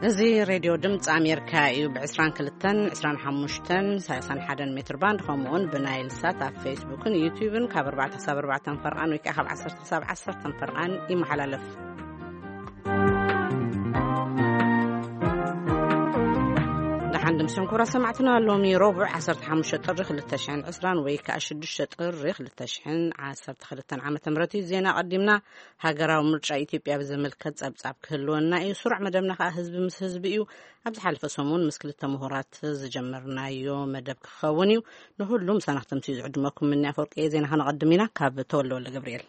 እዚ ሬድዮ ድምፂ ኣሜሪካ እዩ። ብ22፣ 25፣ 31 ሜትር ባንድ፣ ከምኡውን ብናይል ሳት ኣብ ፌስቡክን ዩቲዩብን ካብ ኣርባዕተ ክሳብ ኣርባዕተ ፈርቓን ወይ ከዓ ካብ ዓሰርተ ክሳብ ዓሰርተ ፈርቓን ይመሓላለፍ። ደሓን ድምስን ኩራ ሰማዕትና፣ ሎሚ ረቡዕ ዓሰርተ ሓሙሽተ ጥሪ ክልተ ሽሕን ዕስራን ወይ ከዓ ሽዱሽተ ጥሪ ክልተ ሽሕን ዓሰርተ ክልተን ዓመተ ምህረት እዩ። ዜና ቀዲምና። ሃገራዊ ምርጫ ኢትዮጵያ ብዘመልከት ጸብጻብ ክህልወና እዩ። ስሩዕ መደብና ከኣ ህዝቢ ምስ ህዝቢ እዩ። ኣብ ዝሓለፈ ሰሙን ምስ ክልተ ምሁራት ዝጀመርናዮ መደብ ክኸውን እዩ። ንሁሉም ሰናኽተምቲ ዝዕድመኩም ምኒ ኣፈወርቂ እየ። ዜና ከነቐድም ኢና ካብ ተወልደ ወልደ ገብርኤል።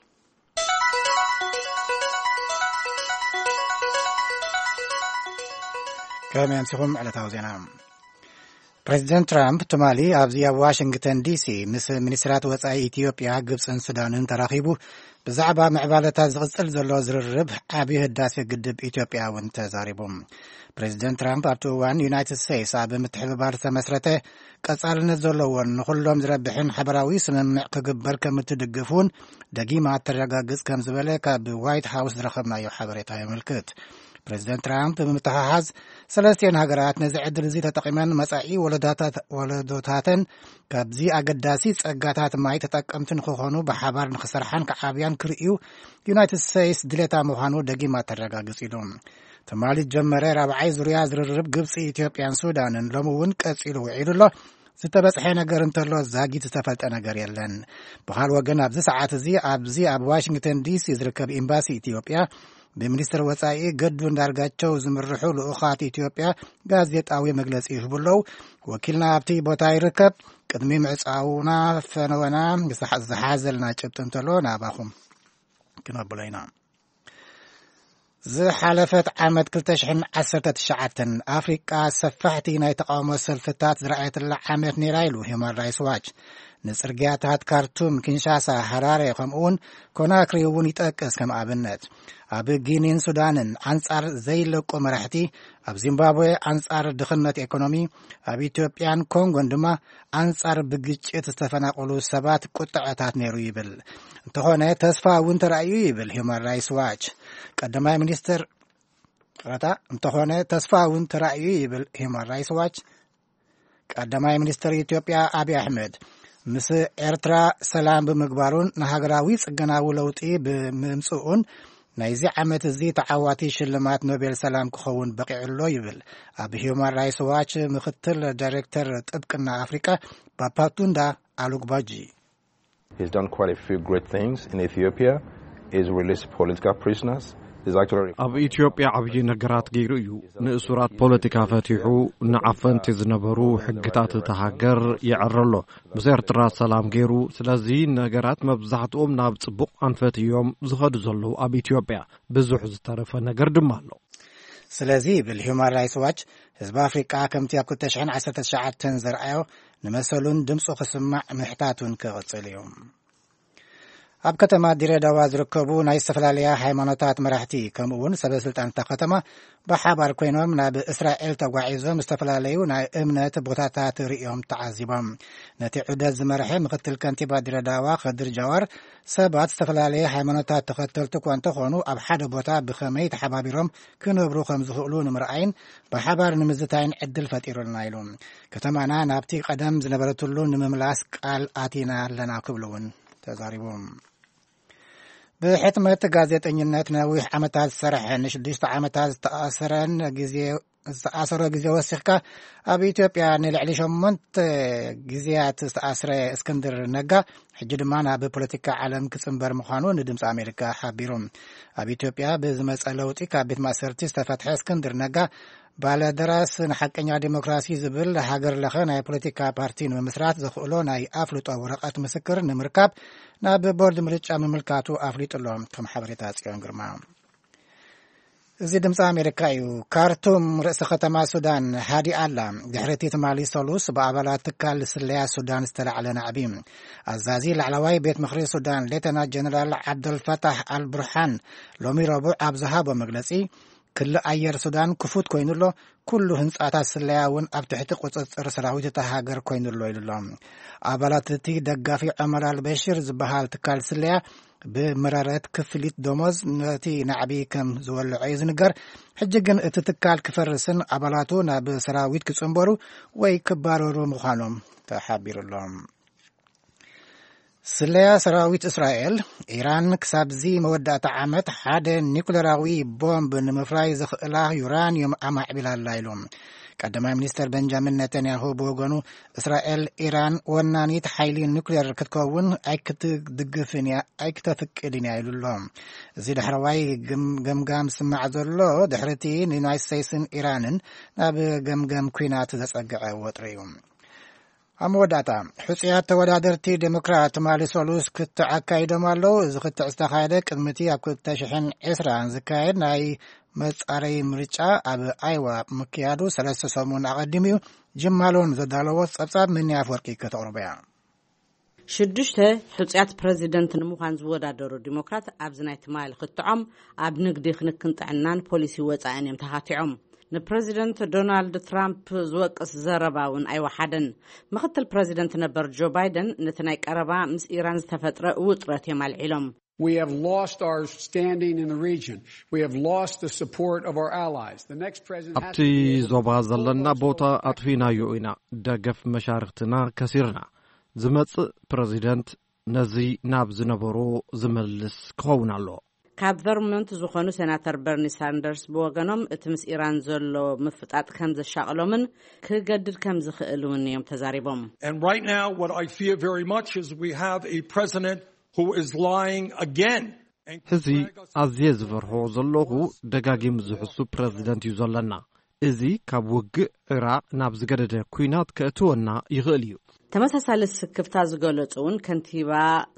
ከመይ ኣምሲኹም ዕለታዊ ዜና። ፕሬዚደንት ትራምፕ ትማሊ ኣብዚ ኣብ ዋሽንግተን ዲሲ ምስ ሚኒስትራት ወጻኢ ኢትዮጵያ፣ ግብጽን ሱዳንን ተራኺቡ ብዛዕባ ምዕባለታት ዝቕጽል ዘሎ ዝርርብ ዓብዪ ህዳሴ ግድብ ኢትዮጵያ እውን ተዛሪቡ። ፕሬዚደንት ትራምፕ ኣብቲ እዋን ዩናይትድ ስቴትስ ኣብ ምትሕብባር ዝተመስረተ ቀጻልነት ዘለዎን ንኹሎም ዝረብሕን ሓበራዊ ስምምዕ ክግበር ከም እትድግፍ እውን ደጊማ እተረጋግጽ ከም ዝበለ ካብ ዋይት ሃውስ ዝረኸብናዮ ሓበሬታ የመልክት። ፕሬዚደንት ትራምፕ ብምትሓሓዝ ሰለስቲኤን ሃገራት ነዚ ዕድል እዚ ተጠቒመን መጻኢ ወለዳታት-፣ ወለዶታተን ካብዚ ኣገዳሲ ጸጋታት ማይ ተጠቀምቲ ንክኾኑ ብሓባር ንክሰርሓን ክዓብያን ክርእዩ ዩናይትድ ስቴትስ ድሌታ ምዃኑ ደጊማ ተረጋግጽ ኢሉ። ትማሊ ዝጀመረ ራብዓይ ዙርያ ዝርርብ ግብጺ፣ ኢትዮጵያን ሱዳንን ሎሚ እውን ቀጺሉ ውዒሉ ኣሎ። ዝተበጽሐ ነገር እንተሎ ዛጊት ዝተፈልጠ ነገር የለን። ብኻል ወገን ኣብዚ ሰዓት እዚ ኣብዚ ኣብ ዋሽንግተን ዲሲ ዝርከብ ኤምባሲ ኢትዮጵያ ብሚኒስትር ወጻኢ ገዱ እንዳርጋቸው ዝምርሑ ልኡኻት ኢትዮጵያ ጋዜጣዊ መግለጺ ይህቡ ኣለዉ። ወኪልና ኣብቲ ቦታ ይርከብ። ቅድሚ ምዕጻውና ፈነወና ዝሓ-፣ ዝሓዘልና ጭብጢ እንተሎ ናባኹም ክነብሎ ኢና። ዝሓለፈት ዓመት ክልተ ሽሕን ዓሰርተ ትሽዓተን ኣፍሪቃ ሰፋሕቲ ናይ ተቃውሞ ሰልፍታት ዝረኣየትላ ዓመት ነይራ ኢሉ ሂውማን ራይትስ ዋች። ንጽርግያታት ካርቱም፣ ኪንሻሳ፣ ሃራሬ ከምኡውን ኮናክሪ እውን ይጠቅስ ከም ኣብነት። ኣብ ጊኒን ሱዳንን ኣንጻር ዘይለቁ መራሕቲ፣ ኣብ ዚምባብዌ ኣንጻር ድኽነት ኤኮኖሚ፣ ኣብ ኢትዮጵያን ኮንጎን ድማ ኣንጻር ብግጭት ዝተፈናቀሉ ሰባት ቁጥዐታት ነይሩ ይብል። እንተኾነ ተስፋ እውን ተራእዩ ይብል ሂውማን ራይትስ ዋች። ቀዳማይ ሚኒስትር፣ ይቕረታ፣ እንተኾነ ተስፋ እውን ተራእዩ ይብል ሂውማን ራይትስ ዋች። ቀዳማይ ሚኒስትር ኢትዮጵያ ኣብይ ኣሕመድ ምስ ኤርትራ ሰላም ብምግባሩን ንሃገራዊ ጽገናዊ ለውጢ ብምምጽኡን ናይዚ ዓመት እዚ ተዓዋቲ ሽልማት ኖቤል ሰላም ክኸውን በቂዑ ኣሎ ይብል ኣብ ሂውማን ራይትስ ዋች ምክትል ዳይሬክተር ጥብቅና ኣፍሪቃ ባፓቱንዳ ኣሉግባጂ። He's done quite a few great things in Ethiopia. He's released political prisoners. He's actually ኣብ ኢትዮጵያ ዓብዪ ነገራት ገይሩ እዩ። ንእሱራት ፖለቲካ ፈቲሑ፣ ንዓፈንቲ ዝነበሩ ሕግታት እታ ሃገር የዕረ ኣሎ። ምስ ኤርትራ ሰላም ገይሩ። ስለዚ ነገራት መብዛሕትኦም ናብ ጽቡቕ ኣንፈት እዮም ዝኸዱ ዘለዉ ኣብ ኢትዮጵያ። ብዙሕ ዝተረፈ ነገር ድማ ኣሎ። ስለዚ ይብል ሂውማን ራይትስ ዋች፣ ህዝቢ ኣፍሪቃ ከምቲ ኣብ ክልተ ሽሕን ዓሰርተ ትሽዓተን ዘርኣዮ ንመሰሉን ድምፁ ክስማዕ ምሕታቱን ክቕጽል እዩ። ኣብ ከተማ ድሬዳዋ ዝርከቡ ናይ ዝተፈላለያ ሃይማኖታት መራሕቲ ከምኡ እውን ሰበ ስልጣን እታ ከተማ ብሓባር ኮይኖም ናብ እስራኤል ተጓዒዞም ዝተፈላለዩ ናይ እምነት ቦታታት ርእዮም ተዓዚቦም። ነቲ ዑደት ዝመርሐ ምክትል ከንቲባ ድሬዳዋ ከድር ጃዋር ሰባት ዝተፈላለየ ሃይማኖታት ተኸተልቲ እኳ እንተኾኑ ኣብ ሓደ ቦታ ብኸመይ ተሓባቢሮም ክነብሩ ከም ዝኽእሉ ንምርኣይን ብሓባር ንምዝታይን ዕድል ፈጢሩልና ኢሉ። ከተማና ናብቲ ቀደም ዝነበረትሉ ንምምላስ ቃል ኣቲና ኣለና ክብሉ እውን ተዛሪቡ። ብሕትመት ጋዜጠኝነት ነዊሕ ዓመታት ዝሰርሐ ንሽዱሽተ ዓመታት ዝተኣሰረን ግዜ ዝተኣሰረ ግዜ ወሲኽካ ኣብ ኢትዮጵያ ንልዕሊ ሸሞንተ ግዜያት ዝተኣስረ እስክንድር ነጋ ሕጂ ድማ ናብ ፖለቲካ ዓለም ክጽንበር ምዃኑ ንድምፂ ኣሜሪካ ሓቢሩ። ኣብ ኢትዮጵያ ብዝመፀ ለውጢ ካብ ቤት ማእሰርቲ ዝተፈትሐ እስክንድር ነጋ ባለደራስ ንሓቀኛ ዲሞክራሲ ዝብል ሃገር ለኸ ናይ ፖለቲካ ፓርቲ ንምምስራት ዘኽእሎ ናይ ኣፍልጦ ወረቐት ምስክር ንምርካብ ናብ ቦርድ ምርጫ ምምልካቱ ኣፍሊጡ ኣሎ። ከም ሓበሬታ ጽዮን ግርማ። እዚ ድምፂ ኣሜሪካ እዩ። ካርቱም ርእሲ ከተማ ሱዳን ሃዲኣ ኣላ። ድሕሪ እቲ ትማሊ ሰሉስ ብኣባላት ትካል ስለያ ሱዳን ዝተላዕለ ናዕቢ፣ ኣዛዚ ላዕለዋይ ቤት ምኽሪ ሱዳን ሌተና ጀነራል ዓብደልፈታሕ ኣልቡርሃን ሎሚ ረቡዕ ኣብ ዝሃቦ መግለጺ፣ ክሊ ኣየር ሱዳን ክፉት ኮይኑ ኣሎ፣ ኩሉ ህንጻታት ስለያ እውን ኣብ ትሕቲ ቁጽጽር ሰራዊት እታ ሃገር ኮይኑ ኣሎ ኢሉ ኣሎ። ኣባላት እቲ ደጋፊ ዑመር ኣልበሽር ዝበሃል ትካል ስለያ ብመረረት ክፍሊት ደሞዝ ነቲ ናዕቢ ከም ዝወልዖ እዩ ዝንገር። ሕጂ ግን እቲ ትካል ክፈርስን ኣባላቱ ናብ ሰራዊት ክጽንበሩ ወይ ክባረሩ ምዃኖም ተሓቢሩ ኣሎ። ስለያ ሰራዊት እስራኤል፣ ኢራን ክሳብዚ መወዳእታ ዓመት ሓደ ኒኩሌራዊ ቦምብ ንምፍራይ ዘኽእላ ዩራንዮም ኣማዕቢላ ኣላ ኢሉ። ቀዳማይ ሚኒስተር ቤንጃሚን ኔታንያሁ ብወገኑ፣ እስራኤል ኢራን ወናኒት ሓይሊ ኒኩሌር ክትከውን ኣይክትድግፍን እያ፣ ኣይክተፍቅድን እያ ኢሉ ኣሎ። እዚ ዳሕረዋይ ግም-፣ ገምጋም ዝስማዕ ዘሎ ድሕሪ እቲ ንዩናይትድ ስቴትስን ኢራንን ናብ ገምገም ኲናት ዘጸግዐ ወጥሪ እዩ። ኣብ መወዳእታ፣ ሕጹያት ተወዳደርቲ ዴሞክራት ትማሊ ሰሉስ ክትዕ ኣካይዶም ኣለዉ። እዚ ክትዕ ዝተኻየደ ቅድሚ እቲ ኣብ ክልተ ሽሕን ዕስራን ዝካየድ ናይ መጻረዪ ምርጫ ኣብ ኣይዋ ምክያዱ ሰለስተ ሰሙን ኣቐዲሙ እዩ። ጅም ማሎን ዘዳለዎ ጸብጻብ ምኒ ኣፍወርቂ ከተቕርቦ እያ። ሽዱሽተ ሕጹያት ፕረዚደንት ንምዃን ዝወዳደሩ ዲሞክራት ኣብዚ ናይ ትማሊ ክትዖም ኣብ ንግዲ፣ ክንክን ጥዕናን ፖሊሲ ወጻእን እዮም ተኻቲዖም። ንፕረዚደንት ዶናልድ ትራምፕ ዝወቅስ ዘረባ እውን ኣይወሓደን። ምኽትል ፕረዚደንት ነበር ጆ ባይደን ነቲ ናይ ቀረባ ምስ ኢራን ዝተፈጥረ ውጥረት እዮም ኣልዒሎም። We have lost our standing in the region. We have lost the support of our allies. The next president has ኣብቲ to be able to ዞባ ዘለና ቦታ ኣጥፊናዮ ኢና። ደገፍ መሻርክትና ከሲርና። ዝመጽእ ፕረዚደንት ነዚ ናብ ዝነበሮ ዝመልስ ክኸውን ኣሎ። ካብ ቨርሞንት ዝኾኑ ሴናተር በርኒ ሳንደርስ ብወገኖም፣ እቲ ምስ ኢራን ዘሎ ምፍጣጥ ከም ዘሻቕሎምን ክገድድ ከም ዝኽእል እውን እዮም ተዛሪቦም። And right now, what I fear very much is we have a president who is lying again. ሕዚ ኣዝየ ዝፈርሖ ዘለኹ፣ ደጋጊሙ ዝሕሱ ፕረዚደንት እዩ ዘለና። እዚ ካብ ውግእ ዕራቕ ናብ ዝገደደ ኲናት ከእትወና ይኽእል እዩ። ተመሳሳሊ ስክፍታ ዝገለጹ እውን ከንቲባ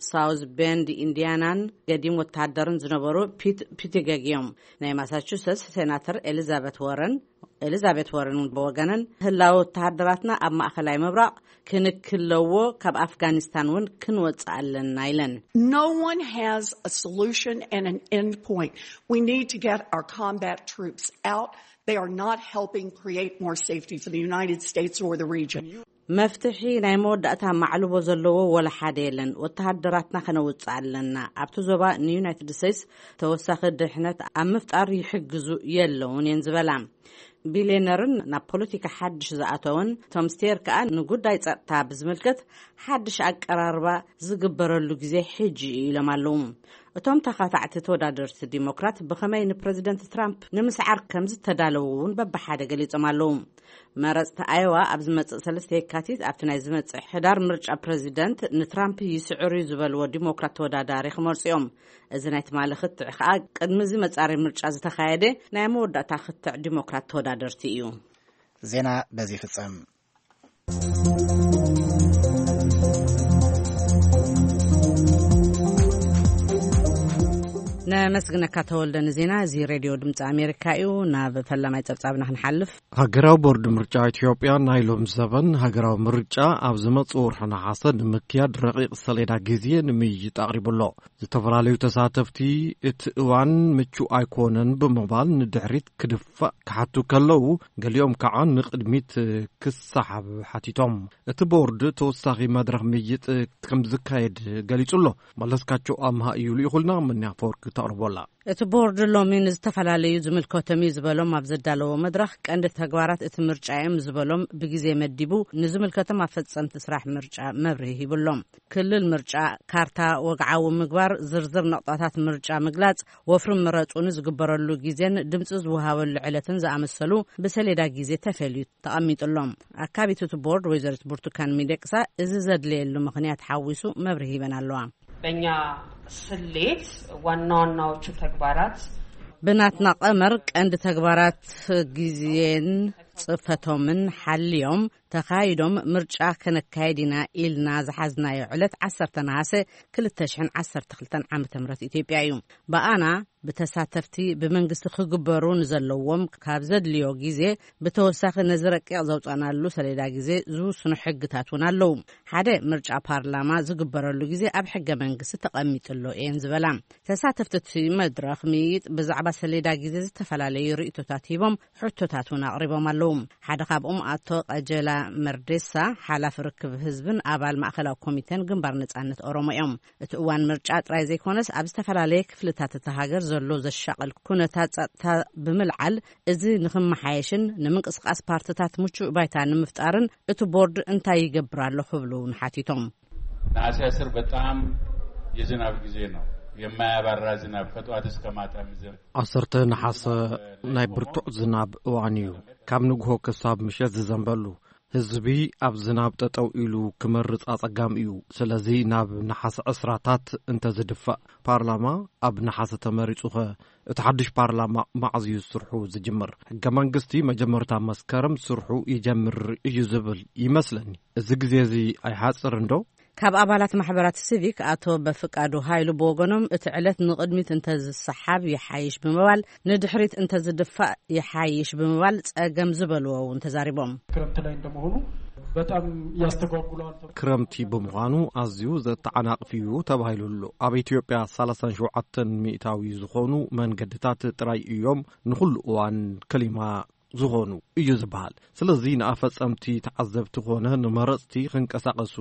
ሳውዝ ቤንድ ኢንዲያናን ገዲም ወተሃደርን ዝነበሩ ፒት ፒቲገግ እዮም። ናይ ማሳቹሰትስ ሴናተር ኤሊዛቤት ወረን፣ ኤሊዛቤት ወረን እውን ብወገነን፣ ህላወ ወተሃደራትና ኣብ ማእከላይ ምብራቕ ክንክለዎ፣ ካብ ኣፍጋኒስታን እውን ክንወጽእ ኣለና ኢለን። No one has a solution and an end point. We need to get our combat troops out. They are not helping create more safety for the United States or the region. መፍትሒ ናይ መወዳእታ ማዕልቦ ዘለዎ ወላ ሓደ የለን። ወተሃደራትና ከነውጽእ ኣለና። ኣብቲ ዞባ ንዩናይትድ ስቴትስ ተወሳኺ ድሕነት ኣብ ምፍጣር ይሕግዙ የለውን እየን ዝበላ። ቢልዮነርን ናብ ፖለቲካ ሓድሽ ዝኣተወን ቶም ስቴር ከኣ፣ ንጉዳይ ጸጥታ ብዝምልከት ሓድሽ ኣቀራርባ ዝግበረሉ ግዜ ሕጂ እዩ ኢሎም ኣለዉ። እቶም ተኻታዕቲ ተወዳደርቲ ዲሞክራት ብኸመይ ንፕረዚደንት ትራምፕ ንምስዓር ከም ዝተዳለዉ እውን በብሓደ ገሊጾም ኣለዉ። መረጽቲ ኣየዋ ኣብ ዝመጽእ ሰለስተ የካቲት ኣብቲ ናይ ዝመጽእ ሕዳር ምርጫ ፕረዚደንት ንትራምፕ ይስዕር እዩ ዝበልዎ ዲሞክራት ተወዳዳሪ ክመርጹ እዮም። እዚ ናይ ትማሊ ክትዕ ከኣ ቅድሚ እዚ መጻረይ ምርጫ ዝተኻየደ ናይ መወዳእታ ክትዕ ዲሞክራት ተወዳደርቲ እዩ። ዜና በዚ ይፍጸም። ነመስግነካ ተወልደ ንዜና። እዚ ሬድዮ ድምፂ ኣሜሪካ እዩ። ናብ ፈላማይ ጸብጻብና ክንሓልፍ። ሃገራዊ ቦርድ ምርጫ ኢትዮጵያ ናይ ሎም ዘበን ሃገራዊ ምርጫ ኣብ ዝመጽእ ወርሒ ነሓሰ ንምክያድ ረቂቕ ሰሌዳ ግዜ ንምይይጥ ኣቕሪቡ ኣሎ። ዝተፈላለዩ ተሳተፍቲ እቲ እዋን ምቹእ ኣይኮነን ብምባል ንድሕሪት ክድፋእ ክሓቱ ከለዉ፣ ገሊኦም ከዓ ንቕድሚት ክሰሓብ ሓቲቶም። እቲ ቦርድ ተወሳኺ መድረኽ ምይይጥ ከም ዝካየድ ገሊጹ ኣሎ። መለስካቸው ኣምሃ እዩ ልኢኹልና፣ ምንያ ፈወርቂ ተቕርቦላ። እቲ ቦርድ ሎሚ ንዝተፈላለዩ ዝምልከቶም እዩ ዝበሎም ኣብ ዘዳለዎ መድረኽ ቀንዲ ተግባራት እቲ ምርጫ እዮም ዝበሎም ብግዜ መዲቡ ንዝምልከቶም ኣፈጸምቲ ስራሕ ምርጫ መብርሂ ሂብሎም። ክልል ምርጫ፣ ካርታ ወግዓዊ ምግባር፣ ዝርዝር ነቕጣታት ምርጫ ምግላጽ፣ ወፍሪ ምረጹ ንዝግበረሉ ግዜን ድምጺ ዝወሃበሉ ዕለትን ዝኣመሰሉ ብሰሌዳ ግዜ ተፈልዩ ተቐሚጡሎም። ኣካቢት እቲ ቦርድ ወይዘሪት ብርቱካን ሚደቅሳ፣ እዚ ዘድለየሉ ምኽንያት ሓዊሱ መብርሂ ሂበን ኣለዋ። በእኛ ስሌት ዋና ዋናዎቹ ተግባራት ብናትና ቀመር ቀንዲ ተግባራት ግዜን ጽፈቶምን ሓልዮም ተኻይዶም ምርጫ ከነካየድ ኢና ኢልና ዝሓዝናዮ ዕለት ዓሰርተ ነሓሰ ክልተ ሽሕን ዓሰርተ ክልተን ዓመተ ምህረት ኢትዮጵያ እዩ። ብኣና ብተሳተፍቲ ብመንግስቲ ክግበሩ ንዘለዎም ካብ ዘድልዮ ግዜ ብተወሳኺ ነዚ ረቂቕ ዘውጻናሉ ሰሌዳ ግዜ ዝውስኑ ሕግታት እውን ኣለዉ። ሓደ ምርጫ ፓርላማ ዝግበረሉ ግዜ ኣብ ሕገ መንግስቲ ተቐሚጥሎ እየን ዝበላ። ተሳተፍቲ እቲ መድረኽ ምይይጥ ብዛዕባ ሰሌዳ ግዜ ዝተፈላለዩ ርእይቶታት ሂቦም ሕቶታት እውን ኣቕሪቦም ኣለዉ። ሓደ ካብኦም ኣቶ ቀጀላ መርዴሳ፣ ሓላፊ ርክብ ህዝብን ኣባል ማእከላዊ ኮሚቴን ግንባር ነጻነት ኦሮሞ እዮም። እቲ እዋን ምርጫ ጥራይ ዘይኮነስ፣ ኣብ ዝተፈላለየ ክፍልታት እታ ሃገር ዘሎ ዘሻቕል ኩነታት ጸጥታ ብምልዓል፣ እዚ ንኽመሓየሽን ንምንቅስቓስ ፓርትታት ምቹእ ባይታ ንምፍጣርን እቲ ቦርድ እንታይ ይገብር ኣሎ ክብሉ እውን ሓቲቶም። ነሐሴ አስር በጣም የዝናብ ጊዜ ነው። የማያባራ ዝናብ ከጠዋት እስከ ማታ የሚዘንብ። ዓሰርተ ነሓሰ ናይ ብርቱዕ ዝናብ እዋን እዩ። ካብ ንግሆ ክሳብ ምሸት ዝዘንበሉ። ህዝቢ ኣብ ዝናብ ጠጠው ኢሉ ክመርጽ ኣጸጋሚ እዩ። ስለዚ ናብ ነሓሰ ዕስራታት እንተዝድፋእ፣ ፓርላማ ኣብ ነሓሰ ተመሪጹኸ፣ እቲ ሓድሽ ፓርላማ መዓዝ እዩ ስርሑ ዝጅምር? ሕገ መንግስቲ መጀመርታ መስከረም ስርሑ ይጀምር እዩ ዝብል ይመስለኒ። እዚ ግዜ እዚ ኣይሓጽርን ዶ? ካብ ኣባላት ማሕበራት ሲቪክ ኣቶ በፍቃዱ ሃይሉ ብወገኖም፣ እቲ ዕለት ንቕድሚት እንተዝሰሓብ ይሓይሽ ብምባል፣ ንድሕሪት እንተዝድፋእ ይሓይሽ ብምባል ጸገም ዝበልዎ እውን ተዛሪቦም። ክረምት ላይ እንደመሆኑ በጣም ያስተጓጉለዋል። ክረምቲ ብምዃኑ ኣዝዩ ዘተዓናቕፍ እዩ ተባሂሉ ኣሎ። ኣብ ኢትዮጵያ ሰላሳን ሸውዓተን ሚእታዊ ዝኾኑ መንገድታት ጥራይ እዮም ንኹሉ እዋን ክሊማ ዝኾኑ እዩ ዝበሃል። ስለዚ ንኣፈጸምቲ ተዓዘብቲ ኮነ ንመረጽቲ ክንቀሳቐሱ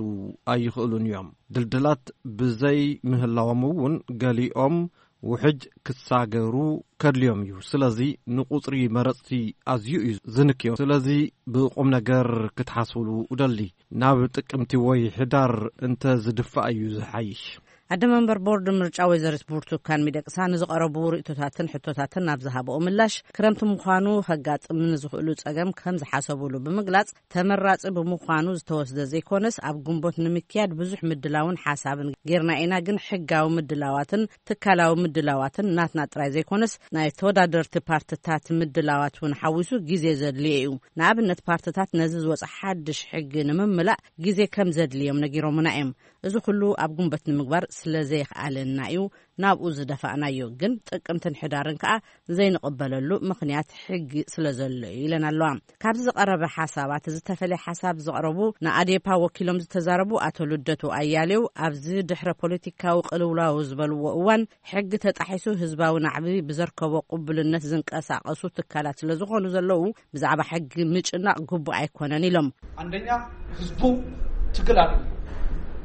ኣይኽእሉን እዮም። ድልድላት ብዘይ ምህላዎም እውን ገሊኦም ውሕጅ ክሳገሩ ከድልዮም እዩ። ስለዚ ንቁጽሪ መረጽቲ ኣዝዩ እዩ ዝንክዮ። ስለዚ ብቁም ነገር ክትሓስብሉ እደሊ። ናብ ጥቅምቲ ወይ ሕዳር እንተ ዝድፋእ እዩ ዝሓይሽ። ኣደ መንበር ቦርድ ምርጫ ወይዘሪት ብርቱካን ሚደቅሳ ንዝቐረቡ ርእቶታትን ሕቶታትን ናብ ዝሃበኦ ምላሽ፣ ክረምቲ ምዃኑ ከጋጥም ንዝኽእሉ ጸገም ከም ዝሓሰቡሉ ብምግላጽ፣ ተመራጺ ብምዃኑ ዝተወስደ ዘይኮነስ፣ ኣብ ግንቦት ንምክያድ ብዙሕ ምድላውን ሓሳብን ጌርና ኢና፣ ግን ሕጋዊ ምድላዋትን ትካላዊ ምድላዋትን ናትና ጥራይ ዘይኮነስ፣ ናይ ተወዳደርቲ ፓርትታት ምድላዋት እውን ሓዊሱ ግዜ ዘድልዮ እዩ። ንኣብነት ፓርትታት ነዚ ዝወጸ ሓድሽ ሕጊ ንምምላእ ግዜ ከም ዘድልዮም ነጊሮምና እዮም። እዚ ኩሉ ኣብ ግንቦት ንምግባር ስለ ዘይኽኣለና እዩ ናብኡ ዝደፋእናዮ። ግን ጥቅምትን ሕዳርን ከኣ ዘይንቕበለሉ ምኽንያት ሕጊ ስለ ዘሎ እዩ ኢለን ኣለዋ። ካብዚ ዝቐረበ ሓሳባት ዝተፈለየ ሓሳብ ዘቕረቡ ንኣዴፓ ወኪሎም ዝተዛረቡ ኣቶ ልደቱ ኣያሌው፣ ኣብዚ ድሕረ ፖለቲካዊ ቅልውላው ዝበልዎ እዋን ሕጊ ተጣሒሱ ህዝባዊ ናዕቢ ብዘርከቦ ቅቡልነት ዝንቀሳቐሱ ትካላት ስለ ዝኾኑ ዘለዉ፣ ብዛዕባ ሕጊ ምጭናቕ ግቡእ ኣይኮነን ኢሎም። አንደኛ፣ ህዝቡ ትግል አለ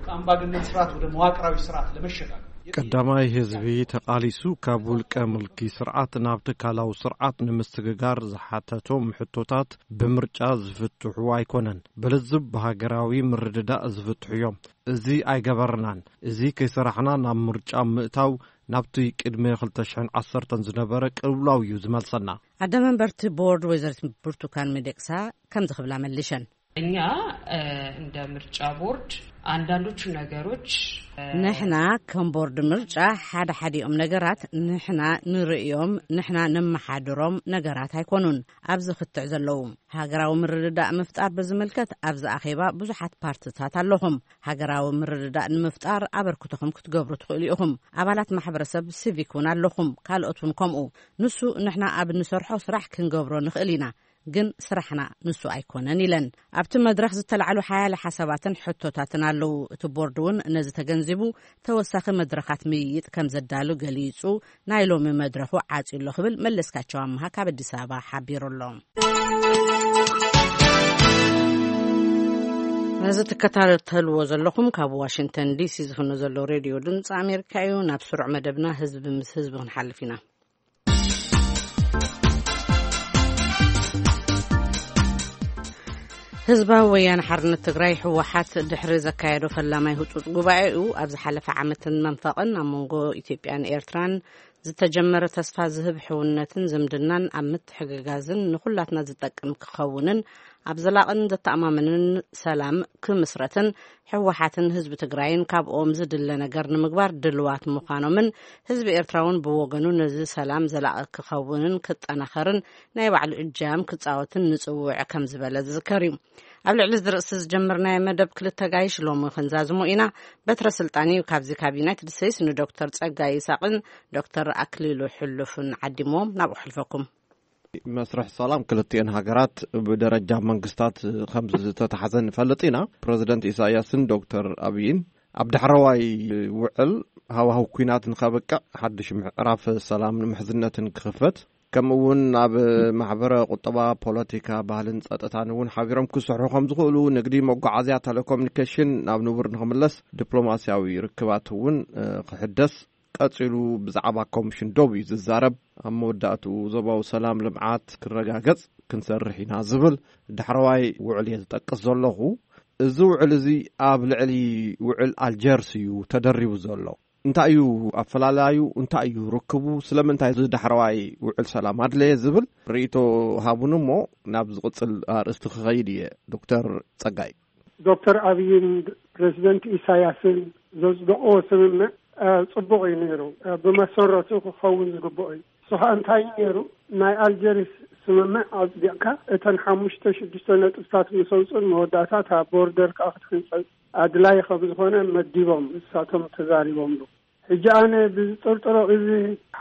ከአምባገነን ስርዓት ወደ መዋቅራዊ ስርዓት ለመሸጋገር። ቀዳማይ ህዝቢ ተቓሊሱ ካብ ውልቀ ምልኪ ስርዓት ናብ ትካላዊ ስርዓት ንምስግጋር ዝሓተቶም ሕቶታት ብምርጫ ዝፍትሑ ኣይኮነን። ብልዝብ ብሃገራዊ ምርድዳእ ዝፍትሑ እዮም። እዚ ኣይገበርናን። እዚ ከይሰራሕና ናብ ምርጫ ምእታው ናብቲ ቅድሚ ክልተ ሽሕን ዓሰርተን ዝነበረ ቅልውላው እዩ ዝመልሰና። ኣደ መንበርቲ ቦርድ ወይዘሪት ብርቱካን ሚደቅሳ ከምዚ ክብላ መሊሸን። እኛ እንደ ምርጫ ቦርድ አንዳንዶቹ ነገሮች ንሕና ከም ቦርድ ምርጫ ሓደ ሓዲኦም ነገራት ንሕና ንርእዮም፣ ንሕና ነመሓድሮም ነገራት ኣይኮኑን። ኣብዚ ክትዕ ዘለዉ ሃገራዊ ምርድዳእ ምፍጣር ብዝምልከት ኣብዚ ኣኼባ ብዙሓት ፓርትታት ኣለኹም። ሃገራዊ ምርድዳእ ንምፍጣር ኣበርክቶኹም ክትገብሩ ትኽእሉ ኢኹም። ኣባላት ማሕበረሰብ ሲቪክ እውን ኣለኹም፣ ካልኦት እውን ከምኡ። ንሱ ንሕና ኣብ እንሰርሖ ስራሕ ክንገብሮ ንኽእል ኢና፣ ግን ስራሕና ንሱ ኣይኮነን ኢለን። ኣብቲ መድረኽ ዝተላዕሉ ሓያለ ሓሳባትን ሕቶታትን ኣለዉ። እቲ ቦርድ እውን ነዚ ተገንዚቡ ተወሳኺ መድረኻት ምይይጥ ከም ዘዳሉ ገሊጹ። ናይ ሎሚ መድረኹ ዓጽዩ ኣሎ ክብል መለስካቸው ኣምሃ ካብ ኣዲስ ኣበባ ሓቢሩ ኣሎ። ነዚ ትከታተልዎ ዘለኹም ካብ ዋሽንግተን ዲሲ ዝፍኖ ዘሎ ሬድዮ ድምፂ ኣሜሪካ እዩ። ናብ ስሩዕ መደብና ህዝቢ ምስ ህዝቢ ክንሓልፍ ኢና። ህዝባዊ ወያነ ሓርነት ትግራይ ህወሓት ድሕሪ ዘካየዶ ፈላማይ ህፁፅ ጉባኤኡ ኣብ ዝሓለፈ ዓመትን መንፈቕን ኣብ መንጎ ኢትዮጵያን ኤርትራን ዝተጀመረ ተስፋ ዝህብ ሕውነትን ዝምድናን ኣብ ምትሕግጋዝን ንኹላትና ዝጠቅም ክኸውንን ኣብ ዘላቕን ዘተኣማምንን ሰላም ክምስረትን ህወሓትን ህዝቢ ትግራይን ካብኦም ዝድለ ነገር ንምግባር ድልዋት ምዃኖምን ህዝቢ ኤርትራ እውን ብወገኑ ነዚ ሰላም ዘላቒ ክኸውንን ክጠናኸርን ናይ ባዕሉ እጃም ክፃወትን ንፅውዕ ከም ዝበለ ዝዝከር እዩ። ኣብ ልዕሊ እዚ ርእሲ ዝጀመርናዮ መደብ ክልተ ጋይሽ ሎሚ ክንዛዝሞ ኢና። በትረ ስልጣን እዩ ካብዚ ካብ ዩናይትድ ስቴትስ ንዶክተር ጸጋይ ይስሐቕን ዶክተር ኣክሊሉ ሕሉፍን ዓዲምዎም ናብኡ ሕልፈኩም። መስርሕ ሰላም ክልቲኤን ሃገራት ብደረጃ መንግስታት ከም ዝተታሕዘ ንፈልጥ ኢና። ፕረዚደንት ኢሳያስን ዶክተር ኣብይን ኣብ ዳሕረዋይ ውዕል ሃዋህው ኲናት ንኸብቅዕ ሓድሽ ምዕራፍ ሰላምን ምሕዝነትን ክኽፈት ከምኡ እውን ኣብ ማሕበረ ቁጠባ፣ ፖለቲካ፣ ባህልን ጸጥታን እውን ሓቢሮም ክስርሑ ከም ዝኽእሉ፣ ንግዲ፣ መጓዓዝያ፣ ቴሌኮሙኒኬሽን ናብ ንቡር ንኽምለስ፣ ዲፕሎማስያዊ ርክባት እውን እ፣ ክሕደስ፣ ቀጺሉ ብዛዕባ ኮሚሽን ዶብ እዩ ዝዛረብ። ኣብ መወዳእትኡ ዞባዊ ሰላም፣ ልምዓት ክረጋገጽ ክንሰርሕ ኢና ዝብል ዳሕረዋይ ውዕል እየ ዝጠቅስ ዘለኹ። እዚ ውዕል እዚ ኣብ ልዕሊ ውዕል ኣልጀርስ እዩ ተደሪቡ ዘሎ። እንታይ እዩ ኣፈላላዩ? እንታይ እዩ ርክቡ? ስለምንታይ እዚ ዳሕረዋይ ውዕል ሰላም ኣድለየ ዝብል ርኢቶ ሃቡን እሞ ናብ ዝቕጽል ኣርእስቲ ክኸይድ እየ። ዶክተር ጸጋይ። ዶክተር ኣብይን ፕሬዚደንት ኢሳያስን ዘጽደቕዎ ስምምዕ እ፣ ጽቡቕ እዩ ነይሩ። እ፣ ብመሰረቱ ክኸውን ዝግብኦ እዩ። እሱ ኸኣ እንታይ እዩ ነይሩ? ናይ ኣልጀሪስ ስምምዕ ኣጽዲቕካ እተን ሓሙሽተ ሽዱሽተ ነጥብታት ምስ ኣውጽኡን መወዳእታ እታ ቦርደር ከኣ ክትሕንጸጽ ኣድላይ ከም ዝኾነ መዲቦም እሳቶም ተዛሪቦምሉ። ሕጂ ኣነ ብዝጥርጥሮ እዚ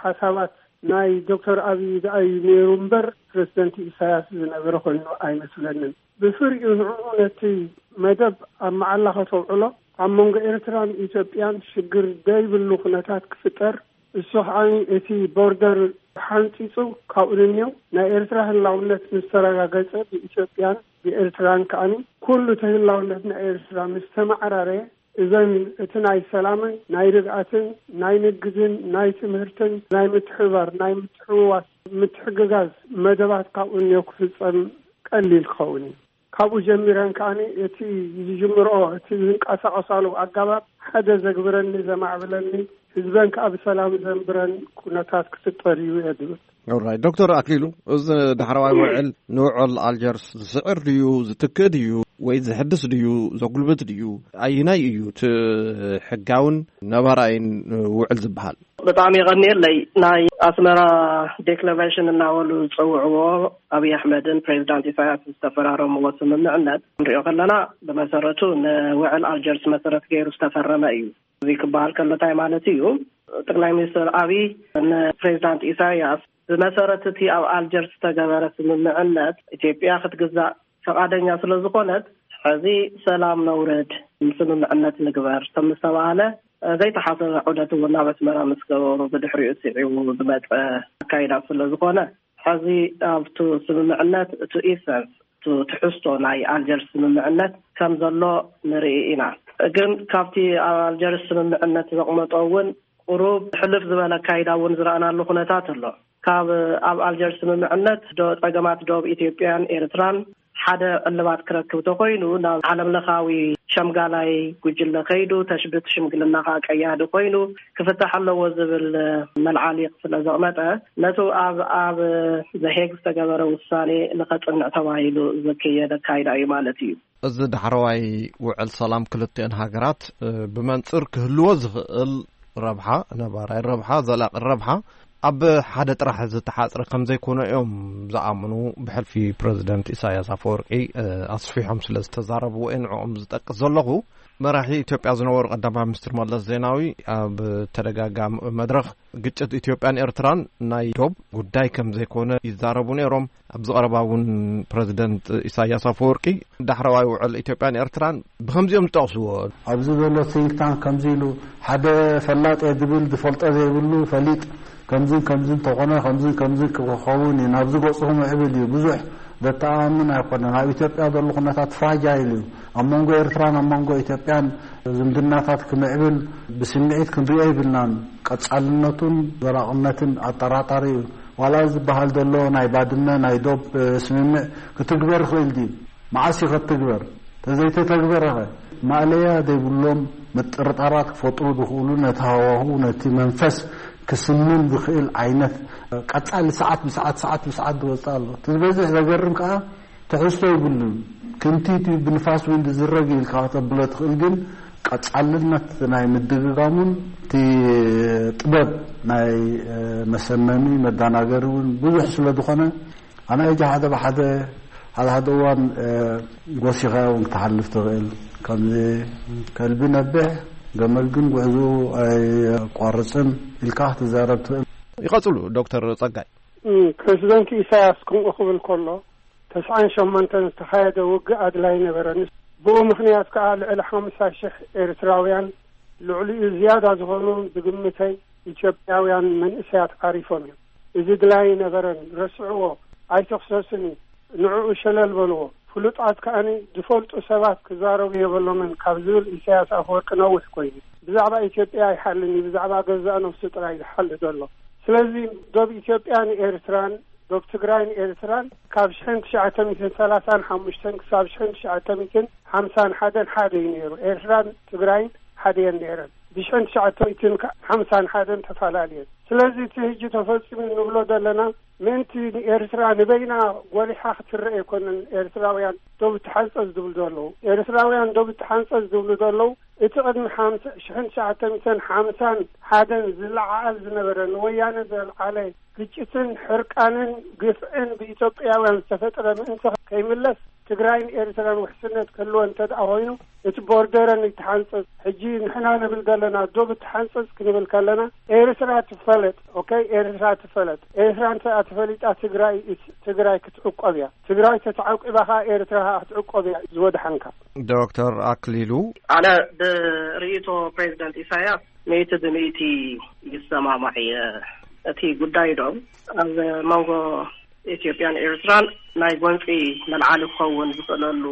ሓሳባት ናይ ዶክተር ኣብይ ደኣ እዩ ነይሩ እምበር ፕሬዚደንት ኢሳያስ ዝነበረ ኮይኑ ኣይመስለንን። ብፍሪኡ ንዕኡ ነቲ መደብ ኣብ መዓላ ከተውዕሎ ኣብ መንጎ ኤርትራን ኢትዮጵያን ሽግር ደይብሉ ኩነታት ክፍጠር፣ እሱ ከኣ እቲ ቦርደር ሓንጺጹ ካብኡ ንንየው ናይ ኤርትራ ህላውነት ምስ ተረጋገጸ ብኢትዮጵያን ብኤርትራን ከኣ ኩሉ እቲ ህላውነት ናይ ኤርትራ ምስ ተመዓራረየ እዘን እቲ ናይ ሰላምን ናይ ርግኣትን ናይ ንግድን ናይ ትምህርትን ናይ ምትሕብባር ናይ ምትሕውዋስ ምትሕግጋዝ መደባት ካብኡ እንዮ ክፍጸም ቀሊል ክኸውን እዩ። ካብኡ ጀሚረን ከኣ እቲ ዝጅምርኦ እቲ ዝንቀሳቐሳሉ ኣገባብ ሓደ ዘግብረኒ ዘማዕብለኒ ህዝበን ከኣ ብሰላም ዘንብረን ኩነታት ክፍጠር እዩ እየ ዝብል። ኦራይ ዶክተር ኣክሊሉ፣ እዚ ዳሕረዋይ ውዕል ንውዕል ኣልጀርስ ዝስዕር ድዩ ዝትክእ ድዩ ወይ ዝሕድስ ድዩ ዘጉልብት ድዩ? ኣይናይ እዩ እቲ ሕጋውን ነባራይን ውዕል ዝበሃል? ብጣዕሚ የቐንየለይ። ናይ ኣስመራ ዴክለሬሽን እናበሉ ዝፀውዕዎ ኣብይ ኣሕመድን ፕሬዚዳንት ኢሳያስ ዝተፈራረምዎ ስምምዕነት ንሪኦ ከለና ብመሰረቱ ንውዕል ኣልጀርስ መሰረት ገይሩ ዝተፈረመ እዩ። እዚ ክበሃል ከሎ እንታይ ማለት እዩ? ጠቅላይ ሚኒስትር ኣብይ ንፕሬዚዳንት ኢሳያስ ብመሰረት እቲ ኣብ ኣልጀርስ ዝተገበረ ስምምዕነት ኢትዮጵያ ክትግዛእ ፈቃደኛ ስለ ዝኾነት፣ ሕዚ ሰላም ነውርድ፣ ስምምዕነት ንግበር ከም ዝተባህለ ዘይተሓሰበ ዑደት እውን ናብ ኣስመራ ምስ ገበሩ ብድሕሪኡ ስዒቡ ዝመፀ ኣካይዳ ስለ ዝኾነ፣ ሕዚ ኣብቱ ስምምዕነት እቲ ኢሰንስ፣ እቲ ትሕዝቶ ናይ ኣልጀርስ ስምምዕነት ከም ዘሎ ንርኢ ኢና። ግን ካብቲ ኣብ ኣልጀርስ ስምምዕነት ዘቕመጦ እውን ቁሩብ ሕልፍ ዝበለ ኣካይዳ እውን ዝረኣናሉ ኩነታት ኣሎ። ካብ ኣብ ኣልጀርስ ስምምዕነት ዶ-፣ ጸገማት ዶብ ኢትዮጵያን ኤርትራን ሓደ እልባት ክረክብ ተኮይኑ ናብ ዓለም ለኻዊ ሸምጋላይ ጉጅለ ከይዱ ተሽብት ሽምግልና ከዓ ቀያዲ ኮይኑ ክፍታሕ ኣለዎ ዝብል መልዓሊቕ ስለ ዘቕመጠ ነቱ ኣብ፣ ኣብ ዘሄግ ዝተገበረ ውሳኔ ንኸጽንዕ ተባሂሉ ዝከየደ ኣካይዳ እዩ ማለት እዩ። እዚ ዳሕረዋይ ውዕል ሰላም ክልቲአን ሃገራት፣ እ፣ ብመንጽር ክህልዎ ዝኽእል ረብሓ፣ ነባራይ ረብሓ፣ ዘላቂ ረብሓ ኣብ ሓደ ጥራሕ ዝተሓጽረ ከም ዘይኮነ እዮም ዝኣምኑ፣ ብሕልፊ ፕረዚደንት ኢሳያስ ኣፈወርቂ፣ እ፣ ኣስፊሖም ስለ ዝተዛረብዎ እየ ንዕኦም ዝጠቅስ ዘለኹ። መራሒ ኢትዮጵያ ዝነበሩ ቀዳማይ ሚኒስትር መለስ ዜናዊ ኣብ ተደጋጋሚ መድረኽ ግጭት ኢትዮጵያን ኤርትራን ናይ ዶብ ጉዳይ ከም ዘይኮነ ይዛረቡ ነይሮም። ኣብዚ ቀረባ እውን ፕረዚደንት ኢሳያስ ኣፈወርቂ ዳሕረዋይ ውዕል ኢትዮጵያን ኤርትራን ብኸምዚኦም ዝጠቕስዎ። ኣብዚ ዘሎ ቲንክ ታንክ ከምዚ ኢሉ ሓደ ፈላጥ እየ ዝብል ዝፈልጦ ዘይብሉ ፈሊጥ ከምዝን ከምዝን እንተኾነ ከምዝን ከምዝን ክኸውን እዩ፣ ናብዚ ገፁ ክምዕብል እዩ። ብዙሕ ዘተኣማምን ኣይኮነን። ኣብ ኢትዮጵያ ዘሎ ኩነታት ፍራጃይል እዩ። ኣብ መንጎ ኤርትራን ኣብ መንጎ ኢትዮጵያን ዝምድናታት ክምዕብል ብስምዒት ክንሪኦ ይብልናን። ቀጻልነቱን ዘላቕነትን ኣጠራጣሪ እዩ። ዋላ ዝበሃል ዘሎ ናይ ባድመ ናይ ዶብ፣ እ፣ ስምምዕ ክትግበር ይኽእል ድዩ? መዓስ እዩ ክትግበር? ተዘይተተግበረኸ? ማእለያ ዘይብሎም ምጥርጣራት ክፈጥሩ ዝኽእሉ፣ ነቲ ሃዋህው፣ ነቲ መንፈስ ክስንን ዝኽእል ዓይነት፣ እ፣ ቀጻሊ ሰዓት ብሰዓት፣ ሰዓት ብሰዓት ዝወጽእ ኣሎ። እቲ ዝበዝሕ ዘገርም ከኣ ትሕዝቶ ይብሉን። ክንቲት እዩ ብንፋስ እውን ዝዝረግ ኢልካ ከተብሎ ትኽእል፣ ግን ቀጻልነት ናይ ምድግጋሙን እቲ ጥበብ ናይ፣ እ፣ መሰመሚ መዳናገሪ እውን ብዙሕ ስለ ዝኾነ ኣነ እጂ ሓደ ብሓደ ሓደ ሓደ እዋን፣ እ፣ ጎሲኻ እውን ክትሓልፍ ትኽእል። ከምዚ ከልቢ ነብሕ ገመል ግን ጉዕዞ ኣይቋርጽን ኢልካ ክትዛረብ ትኽእል። ይቐጽሉ ዶክተር ጸጋይ። እም፣ ፕረዚደንት ኢሳያስ ከምኡ ክብል ከሎ፣ ተስዓን ሸሞንተን ዝተኻየደ ውግእ ኣድላይ ነበረን። ብኡ ምኽንያት ከኣ ልዕሊ ሓምሳ ሽሕ ኤርትራውያን፣ ልዕሊኡ ዝያዳ ዝኾኑ ብግምተይ ኢትዮጵያውያን መንእሰያት ዓሪፎም እዮም። እዚ ድላይ ነበረን፣ ረስዕዎ፣ ኣይትኽሰስን እዩ፣ ንዕኡ ሸለል በልዎ፣ ፍሉጣት ከኣኒ ዝፈልጡ ሰባት ክዛረቡ የበሎምን ካብ ዝብል ኢሳያስ ኣፈወርቂ ነዊሕ ኮይኑ። ብዛዕባ ኢትዮጵያ ኣይሓልን እዩ፣ ብዛዕባ ገዛእ ነፍሱ ጥራይ ዝሓል ዘሎ። ስለዚ ዶብ ኢትዮጵያን ኤርትራን፣ ዶብ ትግራይን ኤርትራን ካብ ሽሕን ትሽዓተ ሚእትን ሰላሳን ሓሙሽተን ክሳብ ሽሕን ትሽዓተ ሚእትን ሓምሳን ሓደን ሓደ እዩ ነይሩ። ኤርትራን ትግራይን ሓደ እየን ነይረን። ብሽሕን ትሽዓተ ሚእትን ሓምሳን ሓደን ተፈላለየን። ስለዚ እቲ ሕጂ ተፈጺሙ ንብሎ ዘለና ምእንቲ ንኤርትራ ንበይና ጎሊሓ ክትረአ ኣይኮነን። ኤርትራውያን ዶብ ትሓንጸጽ ዝብሉ ዘለዉ፣ ኤርትራውያን ዶብ ትሓንጸጽ ዝብሉ ዘለዉ፣ እቲ ቅድሚ ሓምሳ፣ ሽሕን ትሽዓተ ሚእትን ሓምሳን ሓደን ዝለዓዓል ዝነበረ፣ ንወያነ ዘልዓለ ግጭትን ሕርቃንን ግፍዕን ብኢትዮጵያውያን ዝተፈጥረ ምእንቲ ከይምለስ፣ ትግራይን ኤርትራን ውሕስነት ክህልወ እንተ ደኣ ኮይኑ፣ እቲ ቦርደረን ይተሓንጸጽ። ሕጂ ንሕና ንብል ዘለና ዶብ ትሓንጸጽ ክንብል ከለና፣ ኤርትራ ትፈለጥ። ኦኬ፣ ኤርትራ ትፈለጥ። ኤርትራ እንተ ተፈሊጣ፣ ትግራይ፣ ትግራይ ክትዕቆብ እያ። ትግራይ ተተዓቂባ ኸኣ፣ ኤርትራ ኸኣ ክትዕቆብ እያ ዝወድሓንካ። ዶክተር ኣክሊሉ። ኣነ ብርእይቶ ፕሬዚደንት ኢሳያስ ሚእቲ ብሚእቲ ይሰማማዕ እየ። እቲ ጉዳይ ዶ ኣብ መንጎ ኢትዮጵያን ኤርትራን ናይ ጎንፂ መልዓሊ ክኸውን ዝኽእለሉ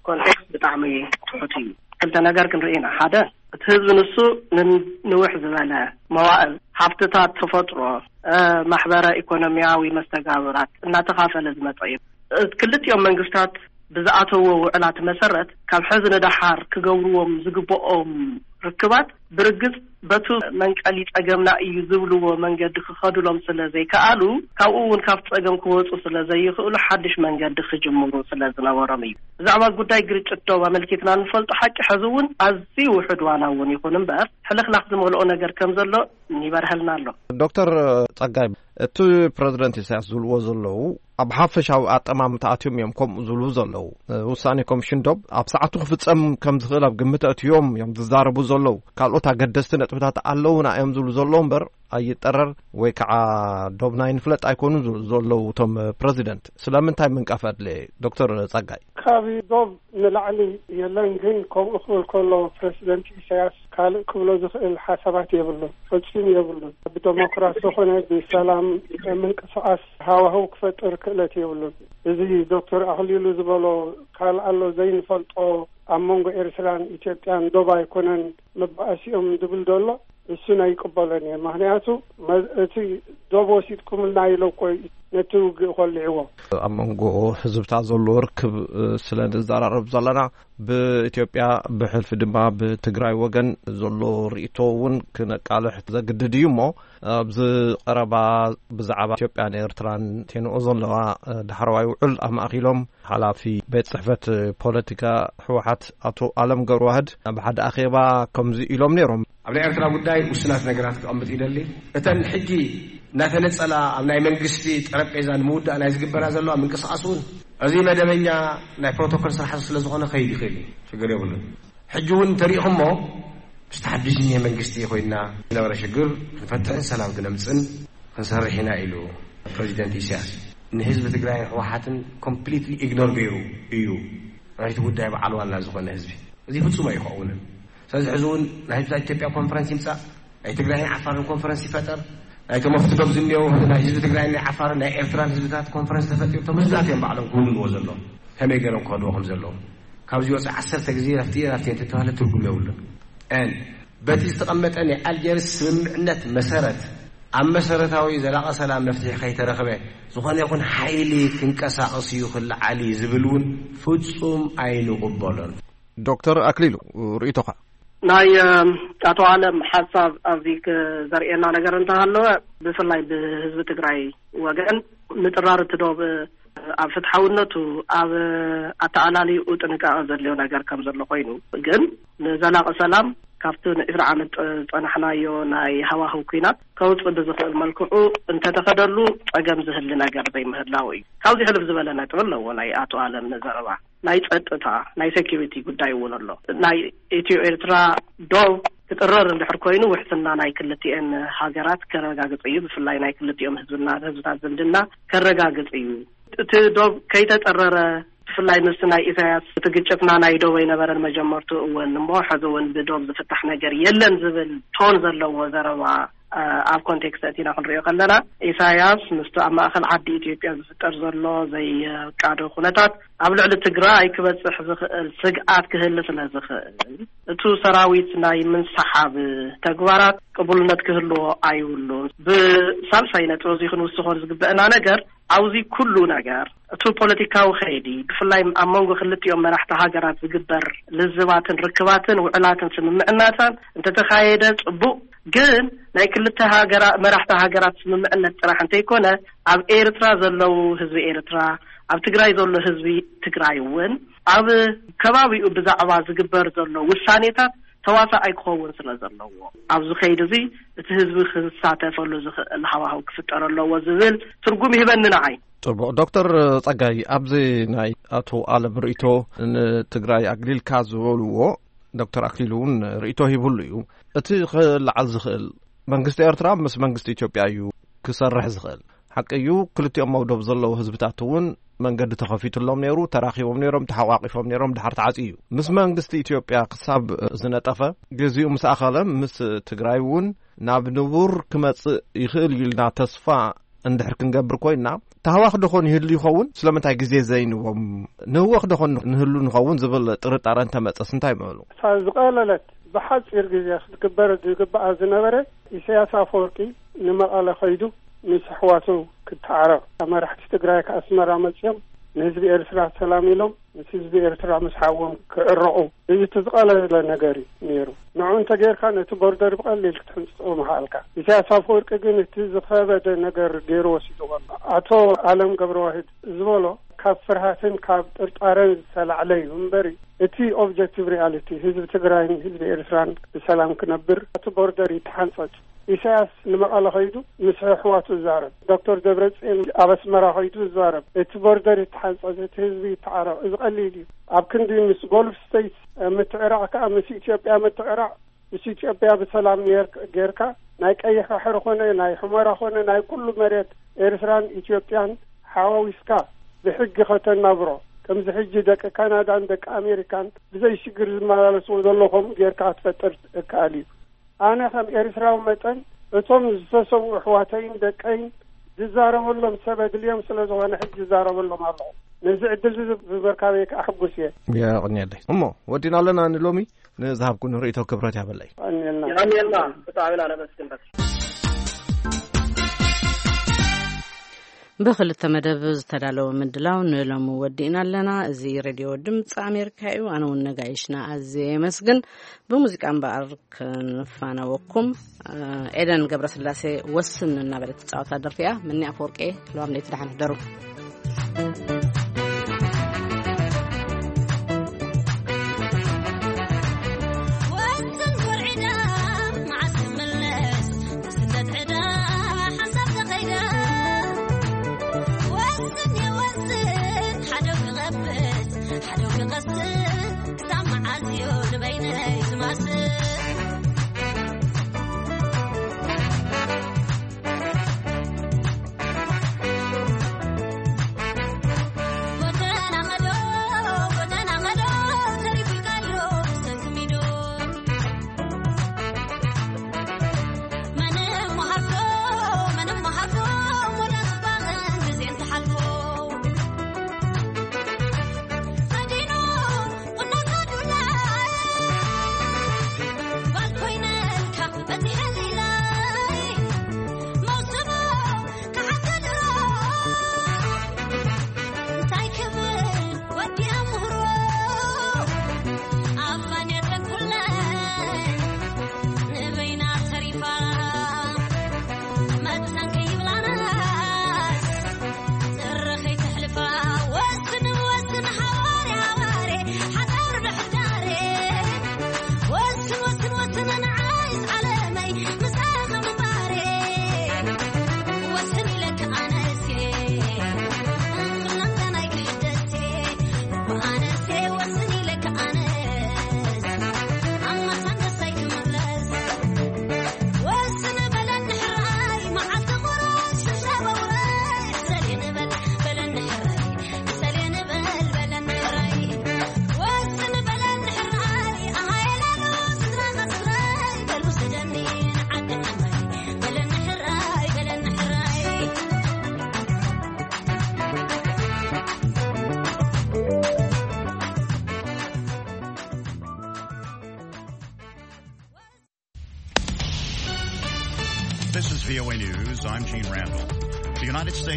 ኮንቴክስት ብጣዕሚ ትሑት እዩ። ክልተ ነገር ክንርኢ ኢና። ሓደ፣ እቲ ህዝቢ ንሱ ንን-፣ ንውሕ ዝበለ መዋእል ሃብትታት ተፈጥሮ፣ እ፣ ማሕበረ ኢኮኖሚያዊ መስተጋብራት እናተኻፈለ ዝመፀ እዩ። እ፣ ክልቲኦም መንግስታት ብዝኣተዎ ውዕላት መሰረት ካብ ሕዚ ንደሓር ክገብርዎም ዝግብኦም ርክባት ብርግጽ በቱ መንቀሊ ጸገምና እዩ ዝብልዎ መንገዲ ክኸዱሎም ስለ ዘይከኣሉ፣ ካብኡ እውን ካብ ጸገም ክወጹ ስለ ዘይኽእሉ ሓድሽ መንገዲ ክጅምሩ ስለ ዝነበሮም እዩ። ብዛዕባ ጉዳይ ግርጭት ዶብ ኣመልኪትና ንፈልጦ ሓቂ ሕዚ እውን ኣዝዩ ውሑድ ዋላ እውን ይኹን እምበር ሕልኽላኽ ዝመልኦ ነገር ከም ዘሎ ይበርሀልና ኣሎ። ዶክተር ጸጋይ፣ እቲ ፕረዚደንት ኢሳያስ ዝብልዎ ዘለዉ ኣብ ሓፈሻዊ ኣጠማምታ ኣትዮም እዮም ከምኡ ዝብሉ ዘለዉ። ውሳኔ ኮሚሽን ዶብ ኣብ ሰዓቱ ክፍጸም ከም ዝኽእል ኣብ ግምት ኣእትዮም እዮም ዝዛረቡ ዘለዉ። ካልኦት ኣገደስቲ ነጥብታት ኣለዉና እዮም ዝብሉ ዘለዉ እምበር ኣይጠረር ወይ ከዓ ዶብና ይንፍለጥ ኣይኮኑን ዝብሉ ዘለዉ እቶም ፕረዚደንት። ስለምንታይ ምንቃፍ ኣድለየ? ዶክተር ጸጋይ። ካብ ዶብ ንላዕሊ የለን፣ ግን ከምኡ ክብል ከሎ ፕረዚደንት ኢሳያስ ካልእ ክብሎ ዝኽእል ሓሳባት የብሉን፣ ፈጺሙ የብሉን። ብደሞክራሲ ኾነ ብሰላም ምንቅስቓስ ሃዋህው ክፈጥር ክእለት የብሉን። እዚ ዶክተር ኣኽሊሉ ዝበሎ ካልእ ኣሎ ዘይንፈልጦ ኣብ መንጎ ኤርትራን ኢትዮጵያን ዶብ ኣይኮነን መባኣሲኦም ዝብል ዘሎ፣ እሱን ኣይቅበሎን እየ። ምኽንያቱ መ-፣ እቲ ዶብ ወሲድኩምልና ኢሎ እኮ እዩ ነቲ ውግእ ኮሊዕዎ። ኣብ መንጎ ህዝብታት ዘሎ ርክብ፣ እ፣ ስለ ንዘራረብ ዘለና፣ ብኢትዮጵያ ብሕልፊ ድማ ብትግራይ ወገን ዘሎ ርእይቶ እውን ክነቃልሕ ዘግድድ እዩ እሞ፣ ኣብዚ ቀረባ ብዛዕባ ኢትዮጵያን ኤርትራን ቴንኦ ዘለዋ፣ እ፣ ዳሕረዋይ ውዕል ኣማእኪሎም ሓላፊ ቤት ጽሕፈት ፖለቲካ ህወሓት ኣቶ ኣለም ገብረዋህድ ኣብ ሓደ ኣኼባ ከምዚ ኢሎም ነይሮም። ኣብ ናይ ኤርትራ ጉዳይ ውሱናት ነገራት ክቐምጥ ይደሊ። እተን ሕጂ እናተነጸላ ኣብ ናይ መንግስቲ ጠረጴዛ ንምውዳእ ናይ ዝግበራ ዘለዋ ምንቅስቓስ እውን እዚ መደበኛ ናይ ፕሮቶኮል ስራሕቲ ስለ ዝኾነ ከይድ ይኽእል እዩ፣ ሽግር የብሉን። ሕጂ እውን እንተሪኢኹሞ ምስቲ ሓድሽ እኒሄ መንግስቲ ኮይንና ዝነበረ ሽግር ክንፈትሕን ሰላም ክነምፅን ክንሰርሕ ኢና ኢሉ ፕረዚደንት ኢሳያስ። ንህዝቢ ትግራይን ህወሓትን ኮምፕሊትሊ ኢግኖር ገይሩ እዩ ናይቲ ጉዳይ በዓል ዋና ዝኾነ ህዝቢ። እዚ ፍጹም ኣይኸውንን። ስለዚ ሕዚ እውን ናይ ህዝብታት ኢትዮጵያ ኮንፈረንስ ይምጻእ፣ ናይ ትግራይን ዓፋርን ኮንፈረንስ ይፈጠር፣ ናይቶም ኣብቲ ዶብ ዝኒአው ናይ ህዝቢ ትግራይን ናይ ዓፋርን ናይ ኤርትራን ህዝብታት ኮንፈረንስ ተፈጢሩ እቶም ህዝብታት እዮም ባዕሎም ክውንንዎ ዘለዎም። ከመይ ገይሮም ክኸድዎ ከም ዘለዎም ካብዚ ወፂ ዓሰርተ ግዜ ናብቲ ናብቲ እንተተባህለ ትርጉም የብሉን። And በቲ ዝተቐመጠ ናይ ኣልጀርስ ስምምዕነት መሰረት ኣብ መሰረታዊ ዘላቒ ሰላም መፍትሒ ከይተረኽበ ዝኾነ ይኹን ሓይሊ ክንቀሳቐስ እዩ ክለዓል እዩ ዝብል እውን ፍጹም ኣይንቕበሎን። ዶክተር ኣክሊሉ፣ ርእይቶኻ? ናይ፣ እ፣ ኣቶ ኣለም ሓሳብ ኣብዚ ክ-፣ ዘርእየና ነገር እንተሃለወ፣ ብፍላይ ብህዝቢ ትግራይ ወገን ምጥራር እቲ ዶብ ኣብ ፍትሓውነቱ፣ ኣብ ኣተኣላልይኡ ጥንቃቐ ዘድልዮ ነገር ከም ዘሎ ኮይኑ፣ ግን ንዘላቒ ሰላም ካብቲ ንዒስራ ዓመት ጸ-፣ ጸናሕናዮ ናይ ሃዋህው ኲናት ከውጽእ ብዝኽእል መልክዑ እንተተኸደሉ ጸገም ዝህሊ ነገር ዘይምህላው እዩ። ካብዚ ሕልፍ ዝበለ ነጥቢ ኣለዎ ናይ ኣቶ ኣለም ዘረባ። ናይ ጸጥታ፣ ናይ ሴኪሪቲ ጉዳይ እውን ኣሎ። ናይ ኢትዮ ኤርትራ ዶብ ክጥረር እንድሕር ኮይኑ ውሕስና ናይ ክልቲኤን ሃገራት ከረጋግጽ እዩ። ብፍላይ ናይ ክልቲኦም ህዝብና፣ ህዝብታት ዝምድና ከረጋግጽ እዩ። እቲ ዶብ ከይተጠረረ፣ ብፍላይ ምስቲ ናይ ኢሳያስ እቲ ግጭትና ናይ ዶብ ኣይነበረን መጀመርቱ እውን እሞ ሕዚ እውን ብዶብ ዝፍታሕ ነገር የለን ዝብል ቶን ዘለዎ ዘረባ ኣብ ኮንቴክስት ኣእቲና ክንሪኦ ከለና፣ ኢሳያስ ምስቲ ኣብ ማእከል ዓዲ ኢትዮጵያ ዝፍጠር ዘሎ ዘይቃዶ ኩነታት ኣብ ልዕሊ ትግራይ ክበጽሕ ዝኽእል ስግኣት ክህሊ ስለ ዝኽእል፣ እቱ ሰራዊት ናይ ምንስሓብ ተግባራት ቅቡልነት ክህልዎ ኣይብሉን። ብሳልሳይ ነጥቢ እዚ ክንውስኾ ዝግበአና ነገር፣ ኣብዚ ኩሉ ነገር፣ እቲ ፖለቲካዊ ከይዲ፣ ብፍላይ ኣብ መንጎ ክልቲኦም መራሕቲ ሃገራት ዝግበር ልዝባትን ርክባትን ውዕላትን ስምምዕናታን እንተተኻየደ ጽቡቕ፣ ግን ናይ ክልተ ሃገራ-፣ መራሕቲ ሃገራት ስምምዕነት ጥራሕ እንተይኮነ፣ ኣብ ኤርትራ ዘለዉ ህዝቢ ኤርትራ፣ ኣብ ትግራይ ዘሎ ህዝቢ ትግራይ እውን፣ ኣብ ከባቢኡ ብዛዕባ ዝግበር ዘሎ ውሳኔታት ተዋሳኣይ ክኸውን ስለ ዘለዎ፣ ኣብዚ ከይዲ እዚ እቲ ህዝቢ ክሳተፈሉ ዝኽእል ሃዋህው ክፍጠር ኣለዎ ዝብል ትርጉም ይህበኒ ንዓይ። ጽቡቕ። ዶክተር ጸጋይ፣ ኣብዚ ናይ ኣቶ ኣለም ርእይቶ ንትግራይ ኣግሊልካ ዝበልዎ፣ ዶክተር ኣክሊሉ እውን ርእይቶ ሂብሉ እዩ። እቲ ክለዓል ዝኽእል፣ መንግስቲ ኤርትራ ምስ መንግስቲ ኢትዮጵያ እዩ ክሰርሕ ዝኽእል። ሓቂ እዩ፣ ክልቲኦም መውደብ ዘለዉ ህዝብታት እውን መንገዲ ተኸፊቱሎም ነይሩ፣ ተራኺቦም ነይሮም፣ ተሓቋቂፎም ነይሮም፣ ድሓር ተዓጽዩ እዩ። ምስ መንግስቲ ኢትዮጵያ ክሳብ ዝነጠፈ፣ ግዜኡ ምስ ኣኸለ፣ ምስ ትግራይ እውን ናብ ንቡር ክመጽእ ይኽእል እዩ ኢልና ተስፋ እንድሕር ክንገብር ኮይና፣ ታህዋኽ ደኾን ይህሉ ይኸውን? ስለምንታይ ግዜ ዘይንዎም ንህወኽ ደኾን ንህሉ ንኸውን ዝብል ጥርጣረ እንተመጸስ እንታይ ምበሉ? እታ ዝቐለለት ብሓጺር ግዜ ክትግበር ዝግብኣ ዝነበረ፣ ኢሳያስ ኣፈወርቂ ንመቐለ ከይዱ ምስ ኣሕዋቱ ክተዓረቕ፣ መራሕቲ ትግራይ ከኣስመራ መጺኦም ንህዝቢ ኤርትራ ሰላም ኢሎም ምስ ህዝቢ ኤርትራ ምስ ሓዎም ክዕረቑ፣ እዚ እቲ ዝቐለለ ነገር እዩ ነይሩ። ንዑ እንተ ጌርካ ነቲ ቦርደር ብቐሊል ክትሕንጽጾ ምኽኣልካ። ኢሳያስ ኣፈወርቂ ግን እቲ ዝኸበደ ነገር ገይሩ ወሲድዎ ኣሎ። ኣቶ ኣለም ገብረዋህድ ዝበሎ ካብ ፍርሃትን ካብ ጥርጣረን ዝተላዕለ እዩ እምበሪ፣ እቲ ኦብጀክቲቭ ሪያሊቲ ህዝቢ ትግራይን ህዝቢ ኤርትራን ብሰላም ክነብር፣ እቲ ቦርደር ይተሓንጸጽ። ኢሳያስ ንመቐለ ከይዱ ምስ ኣሕዋቱ ይዛረብ። ዶክተር ደብረጽዮን ኣብ ኣስመራ ከይዱ ይዛረብ። እቲ ቦርደር ይተሓንጸጽ፣ እቲ ህዝቢ ይተዓረቕ። እዚ ቀሊል እዩ። ኣብ ክንዲ ምስ ጎልፍ ስቴትስ ምትዕራቕ ከኣ ምስ ኢትዮጵያ ምትዕራቕ፣ ምስ ኢትዮጵያ ብሰላም ኔር-፣ ጌርካ ናይ ቀይሕ ባሕሪ ኮነ ናይ ሑመራ ኮነ ናይ ኩሉ መሬት ኤርትራን ኢትዮጵያን ሓዋዊስካ ብሕጊ ከተናብሮ፣ ከምዚ ሕጂ ደቂ ካናዳን ደቂ ኣሜሪካን ብዘይ ሽግር ዝመላለስዎ ዘሎ ከምኡ ጌርካ ክትፈጥር እከኣል እዩ። ኣነ ከም ኤርትራዊ መጠን እቶም ዝተሰዉ ኣሕዋተይን ደቀይን ዝዛረበሎም ሰብ ኣድልዮም ስለ ዝኾነ ሕጂ ዝዛረበሎም ኣለኹ። ነዚ ዕድል እዚ ብምርካበይ ከኣ ሕጉስ እየ። የቐንየለይ። እሞ ወዲና ኣለና ንሎሚ። ንዝሃብኩን ርእይቶ ክብረት ያበለይ። የቐንየልና። የቐንየልና። ብጣዕሚ ኢና ነመስግን። በቃ። ብኽልተ መደብ ዝተዳለወ ምድላው ንሎሚ ወዲእና ኣለና። እዚ ሬድዮ ድምፂ ኣሜሪካ እዩ። ኣነ እውን ነጋይሽና ኣዝየ የመስግን። ብሙዚቃ እምበኣር ክንፋነወኩም። ኤደን ገብረስላሴ ወስን እናበለት ትፃወታ ደርፊ እያ። ምኒ ኣፈወርቄ፣ ለዋም ለይቲ ደሓን ሕደሩ። V O A News, I'm Gene Randall. The United States